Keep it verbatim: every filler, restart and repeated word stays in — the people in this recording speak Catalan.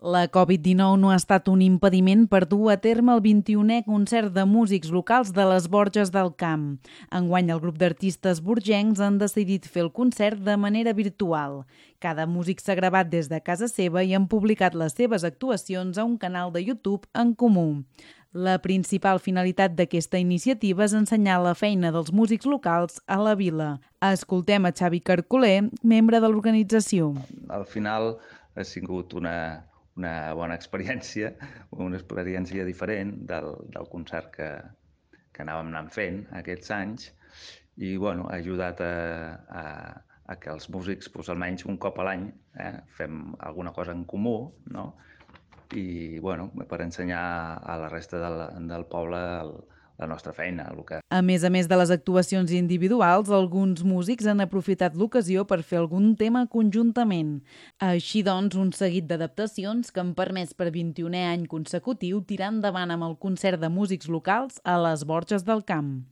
La Covid dinou no ha estat un impediment per dur a terme el vint-i-unè concert de músics locals de les Borges del Camp. Enguany, el grup d'artistes borgencs han decidit fer el concert de manera virtual. Cada músic s'ha gravat des de casa seva i han publicat les seves actuacions a un canal de YouTube en comú. La principal finalitat d'aquesta iniciativa és ensenyar la feina dels músics locals a la vila. Escoltem a Xavi Carcoler, membre de l'organització. Al final ha sigut una, una bona experiència, una experiència diferent del, del concert que, que anàvem anant fent aquests anys i bueno, ha ajudat a, a, a que els músics, doncs, almenys un cop a l'any, eh, fem alguna cosa en comú, no? I bueno, per ensenyar a la resta del, del poble el, la nostra feina. El que... A més a més de les actuacions individuals, alguns músics han aprofitat l'ocasió per fer algun tema conjuntament. Així doncs, un seguit d'adaptacions que han permès per vint-i-unè any consecutiu tirar endavant amb el concert de músics locals a les Borges del Camp.